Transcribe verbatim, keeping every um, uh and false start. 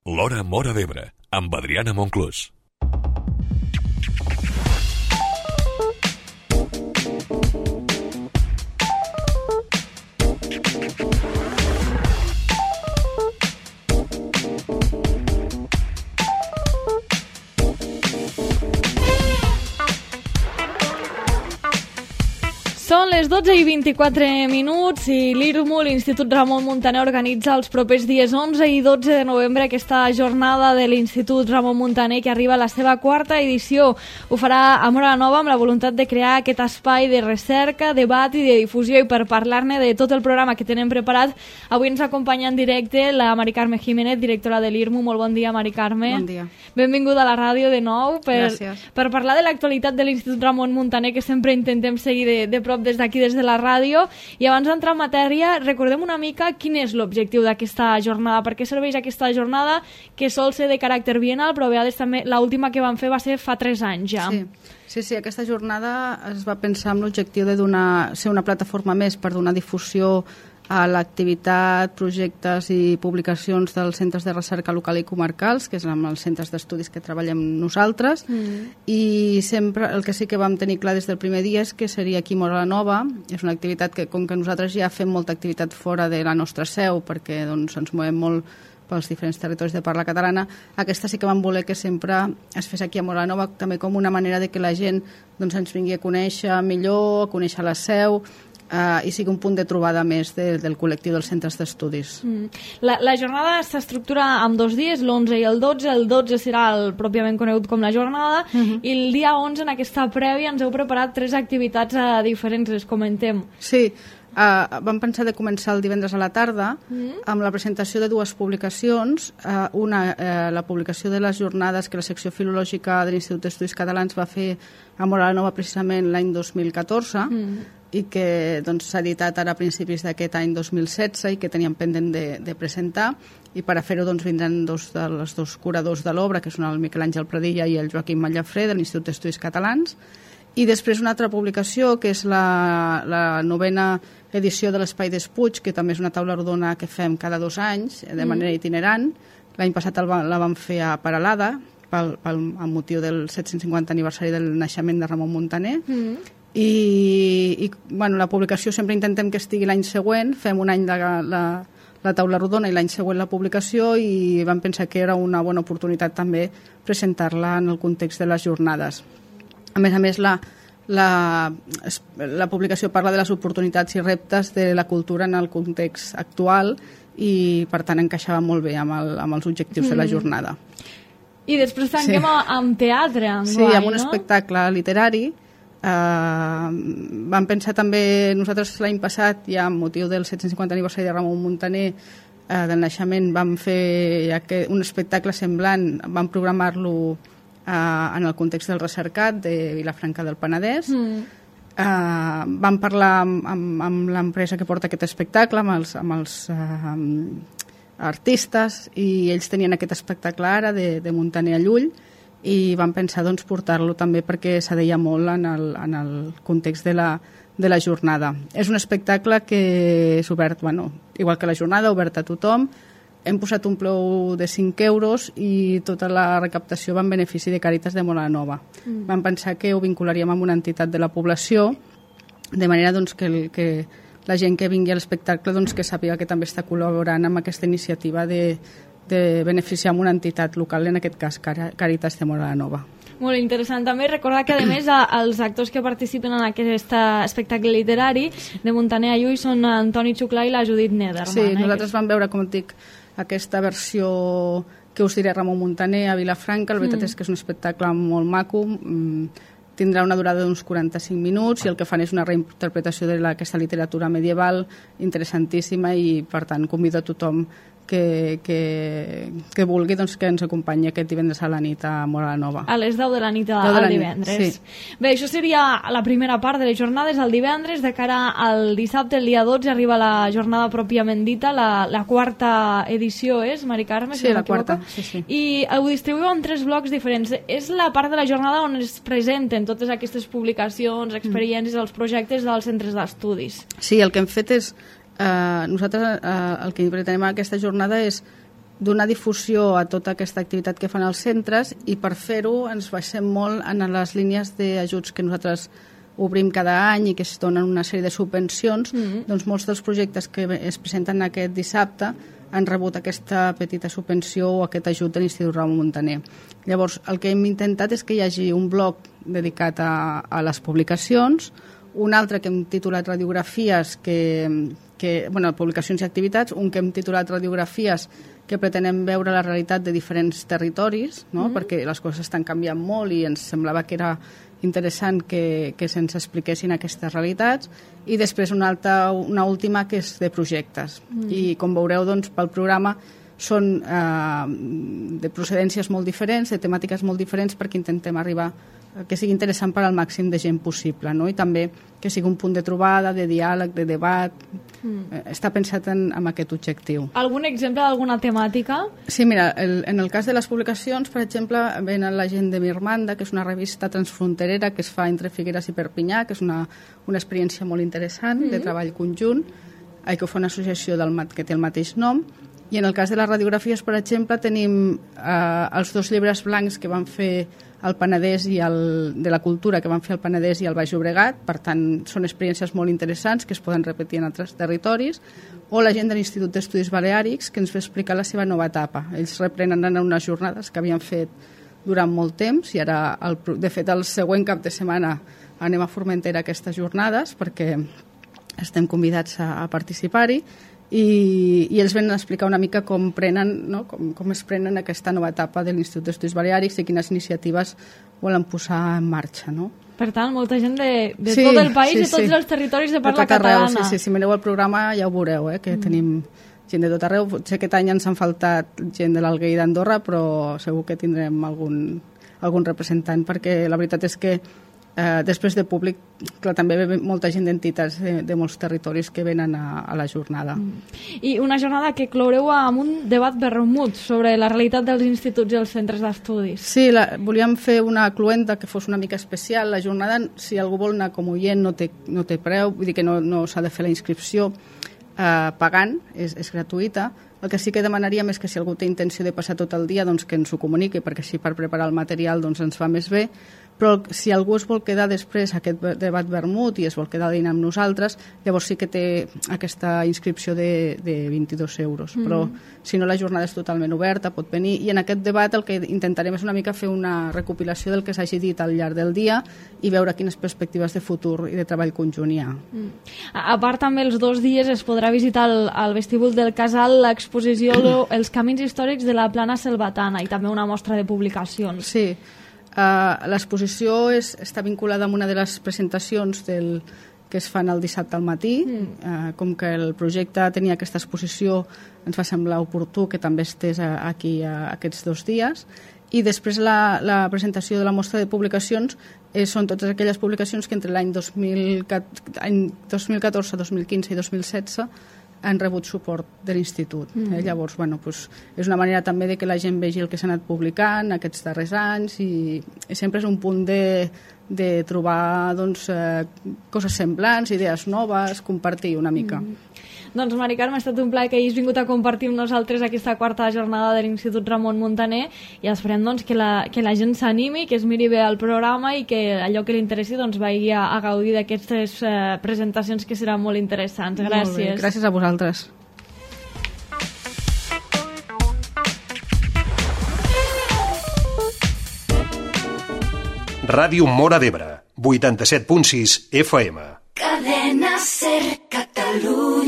L'Hora Móra d'Ebre, amb Adriana Monclús. Són les dotze i vint-i-quatre minuts i l'I R M U, l'Institut Ramon Muntaner, organitza els propers dies onze i dotze de novembre aquesta jornada de l'Institut Ramon Muntaner que arriba a la seva quarta edició. Ho farà a Móra la Nova amb la voluntat de crear aquest espai de recerca, debat i de difusió, i per parlar-ne de tot el programa que tenen preparat, avui ens acompanya en directe la Mari Carme Jiménez, directora de l'I R M U. Molt bon dia, Mari Carme. Bon dia. Benvinguda a la ràdio de nou per, Gràcies. per parlar de l'actualitat de l'Institut Ramon Muntaner, que sempre intentem seguir de, de prop des d'aquí, des de la ràdio. I abans d'entrar en matèria, recordem una mica quin és l'objectiu d'aquesta jornada, per què serveix aquesta jornada, que sol ser de caràcter bienal, però a vegades també l'última que vam fer va ser fa tres anys ja. Sí, sí, sí, aquesta jornada es va pensar amb l'objectiu de donar, ser una plataforma més per donar difusió a l'activitat, projectes i publicacions dels centres de recerca local i comarcals, que és amb els centres d'estudis que treballem nosaltres, mm. i sempre el que sí que vam tenir clar des del primer dia és que seria aquí a Móra la Nova. És una activitat que, com que nosaltres ja fem molta activitat fora de la nostra seu, perquè doncs, ens movem molt pels diferents territoris de parla catalana, aquesta sí que vam voler que sempre es fes aquí a Móra la Nova, també com una manera de que la gent doncs, ens vingui a conèixer millor, a conèixer la seu, Uh, i sigui un punt de trobada més de, del col·lectiu dels centres d'estudis. Mm. La, la jornada s'estructura en dos dies, l'onze i el dotze. El dotze serà el pròpiament conegut com la jornada, uh-huh. i el dia onze, en aquesta prèvia, ens heu preparat tres activitats uh, diferents, les comentem. Sí, uh, vam pensar de començar el divendres a la tarda mm. amb la presentació de dues publicacions. Uh, una, uh, la publicació de les jornades que la secció filològica de l'Institut d'Estudis Catalans va fer a Móra la Nova precisament l'any dos mil catorze, mm. i que doncs, s'ha editat ara a principis d'aquest any dos mil setze i que teníem pendent de, de presentar, i per a fer-ho doncs, vindran dos dels dos curadors de l'obra, que són el Miquel Àngel Pradilla i el Joaquim Mallafré, de l'Institut d'Estudis Catalans, i després una altra publicació que és la, la novena edició de l'Espai d'Espuig, que també és una taula rodona que fem cada dos anys de manera mm. itinerant. L'any passat el, la vam fer a Peralada pel, pel, amb motiu del set-cents cinquanta aniversari del naixement de Ramon Muntaner. Mm. I, i bueno, la publicació sempre intentem que estigui l'any següent, fem un any de la, la taula rodona i l'any següent la publicació, i vam pensar que era una bona oportunitat també presentar-la en el context de les jornades. A més a més, la, la, la publicació parla de les oportunitats i reptes de la cultura en el context actual, i per tant encaixava molt bé amb, el, amb els objectius mm. de la jornada. I després tanquem sí. amb teatre, enguany, sí, amb un no? espectacle literari. Uh, vam pensar també, nosaltres l'any passat, ja amb motiu del set-cents cinquanta aniversari de Ramon Muntaner, uh, del naixement, vam fer ja que un espectacle semblant, vam programar-lo uh, en el context del Recercat de Vilafranca del Penedès. Mm. Uh, vam parlar amb, amb, amb l'empresa que porta aquest espectacle, amb els, amb els uh, artistes, i ells tenien aquest espectacle ara de, de Muntaner a Llull, i vam pensar doncs, portar-lo també perquè s'adeia molt en el, en el context de la, de la jornada. És un espectacle que és obert, bueno, igual que la jornada, obert a tothom. Hem posat un preu de cinc euros i tota la recaptació va en benefici de Càritas de Móra la Nova. Mm. Vam pensar que ho vincularíem amb una entitat de la població, de manera doncs, que, el, que la gent que vingui a l'espectacle doncs, que sàpiga que també està col·laborant amb aquesta iniciativa de de beneficiar amb una entitat local, en aquest cas Càritas de Móra la Nova. Molt interessant. També recordar que, a més, els actors que participen en aquest espectacle literari de Muntaner a Llull són Antoni Xuclà i la Judit Nederman. Sí, eh? Nosaltres vam veure, com et dic, aquesta versió que us diré Ramon Muntaner a Vilafranca. La veritat mm. és que és un espectacle molt maco, tindrà una durada d'uns quaranta-cinc minuts, i el que fan és una reinterpretació d'aquesta literatura medieval interessantíssima, i per tant convido a tothom que, que, que vulgui doncs, que ens acompanyi aquest divendres a la nit a Móra la Nova. A les deu de la nit al divendres. Sí. Bé, això seria la primera part de les jornades, el divendres. De cara al dissabte, el dia dotze, arriba la jornada pròpiament dita, la, la quarta edició, és, Mari Carme? Sí, si la quarta. Sí, sí. I ho distribuïu en tres blocs diferents. És la part de la jornada on es presenten totes aquestes publicacions, experiències, mm. els projectes dels centres d'estudis. Sí, el que hem fet és Uh, nosaltres uh, el que pretenem a aquesta jornada és donar difusió a tota aquesta activitat que fan els centres, i per fer-ho ens basem molt en les línies d'ajuts que nosaltres obrim cada any i que es donen una sèrie de subvencions. Mm-hmm. Doncs molts dels projectes que es presenten aquest dissabte han rebut aquesta petita subvenció o aquest ajut de l'Institut Ramon Muntaner. Llavors, el que hem intentat és que hi hagi un bloc dedicat a, a les publicacions, un altre que hem titulat Radiografies, que, que, bueno, publicacions i activitats, un que hem titulat Radiografies, que pretenem veure la realitat de diferents territoris, no? Mm-hmm. Perquè les coses estan canviant molt i ens semblava que era interessant que, que se'ns expliquessin aquestes realitats, i després una, altra, una última que és de projectes. Mm. I com veureu, doncs, pel programa són eh, de procedències molt diferents, de temàtiques molt diferents, perquè intentem arribar que sigui interessant per al màxim de gent possible, no? I també que sigui un punt de trobada, de diàleg, de debat. Mm. Està pensat en, en aquest objectiu. Algun exemple d'alguna temàtica? Sí, mira, el, en el cas de les publicacions, per exemple, ven la gent de Mirmanda, que és una revista transfronterera que es fa entre Figueres i Perpinyà, que és una, una experiència molt interessant, mm. de treball conjunt, que ho fa una associació del, que té el mateix nom. I en el cas de les radiografies, per exemple, tenim eh, els dos llibres blancs que van fer el Penedès i el, de la cultura que van fer el Penedès i el Baix Llobregat. Per tant, són experiències molt interessants que es poden repetir en altres territoris. O la gent de l'Institut d'Estudis Baleàrics, que ens va explicar la seva nova etapa. Ells reprenen en unes jornades que havien fet durant molt temps, i ara, el, de fet, el següent cap de setmana anem a Formentera aquestes jornades, perquè estem convidats a, a participar-hi. I, i ells venen a explicar una mica com prenen, no? com, com es prenen aquesta nova etapa de l'Institut d'Estudis Baleàrics i quines iniciatives volen posar en marxa, no? Per tant, molta gent de, de sí, tot el país sí, i tots sí. els territoris de parla de tot arreu, catalana. Sí, sí, si mireu el programa ja ho veureu, eh, que mm. tenim gent de tot arreu. Potser aquest any ens han faltat gent de l'Alguer i d'Andorra, però segur que tindrem algun, algun representant, perquè la veritat és que Eh, després de públic, clar, també ve molta gent d'entitats de, de molts territoris que venen a, a la jornada. Mm. I una jornada que cloureu amb un debat vermut sobre la realitat dels instituts i els centres d'estudis. Sí, la, volíem fer una cluenda que fos una mica especial. La jornada, si algú vol anar com oient, no té, no té preu, vull dir que no, no s'ha de fer la inscripció eh, pagant, és, és gratuïta. El que sí que demanaríem és que si algú té intenció de passar tot el dia, doncs que ens ho comuniqui, perquè així per preparar el material doncs ens va més bé. Però si algú es vol quedar després a aquest debat vermut i es vol quedar a dinar amb nosaltres, llavors sí que té aquesta inscripció de, de vint-i-dos euros. Mm. Però si no, la jornada és totalment oberta, pot venir. I en aquest debat el que intentarem és una mica fer una recopilació del que s'hagi dit al llarg del dia i veure quines perspectives de futur i de treball conjunt hi ha. Mm. A, a part, també els dos dies es podrà visitar al, al vestíbul del Casal l'exposició Els camins històrics de la Plana Selvatana i també una mostra de publicacions. Sí. Uh, l'exposició és, està vinculada amb una de les presentacions del, que es fan el dissabte al matí. Mm. Uh, com que el projecte tenia aquesta exposició, ens va semblar oportú que també estés a, aquí a, aquests dos dies. I després la, la presentació de la mostra de publicacions eh, són totes aquelles publicacions que entre l'any dos mil catorze, dos mil quinze i dos mil setze han rebut suport de l'Institut. Mm. Eh? Llavors, bueno, pues, és una manera també de que la gent vegi el que s'ha anat publicant aquests darrers anys i, i sempre és un punt de, de trobar doncs, eh, coses semblants, idees noves, compartir una mica. Mm. Doncs, Mari Carme, ha estat un plaer que hagis vingut a compartir amb nosaltres aquesta quarta jornada de l'Institut Ramon Muntaner i esperem doncs, que, la, que la gent s'animi, que es miri bé el programa i que allò que li interessi doncs, vagi a, a gaudir d'aquestes eh, presentacions que seran molt interessants. Gràcies. Molt bé. Gràcies a vosaltres. Ràdio Móra d'Ebre, vuitanta-set punt sis F M. Cadena Ser Catalunya.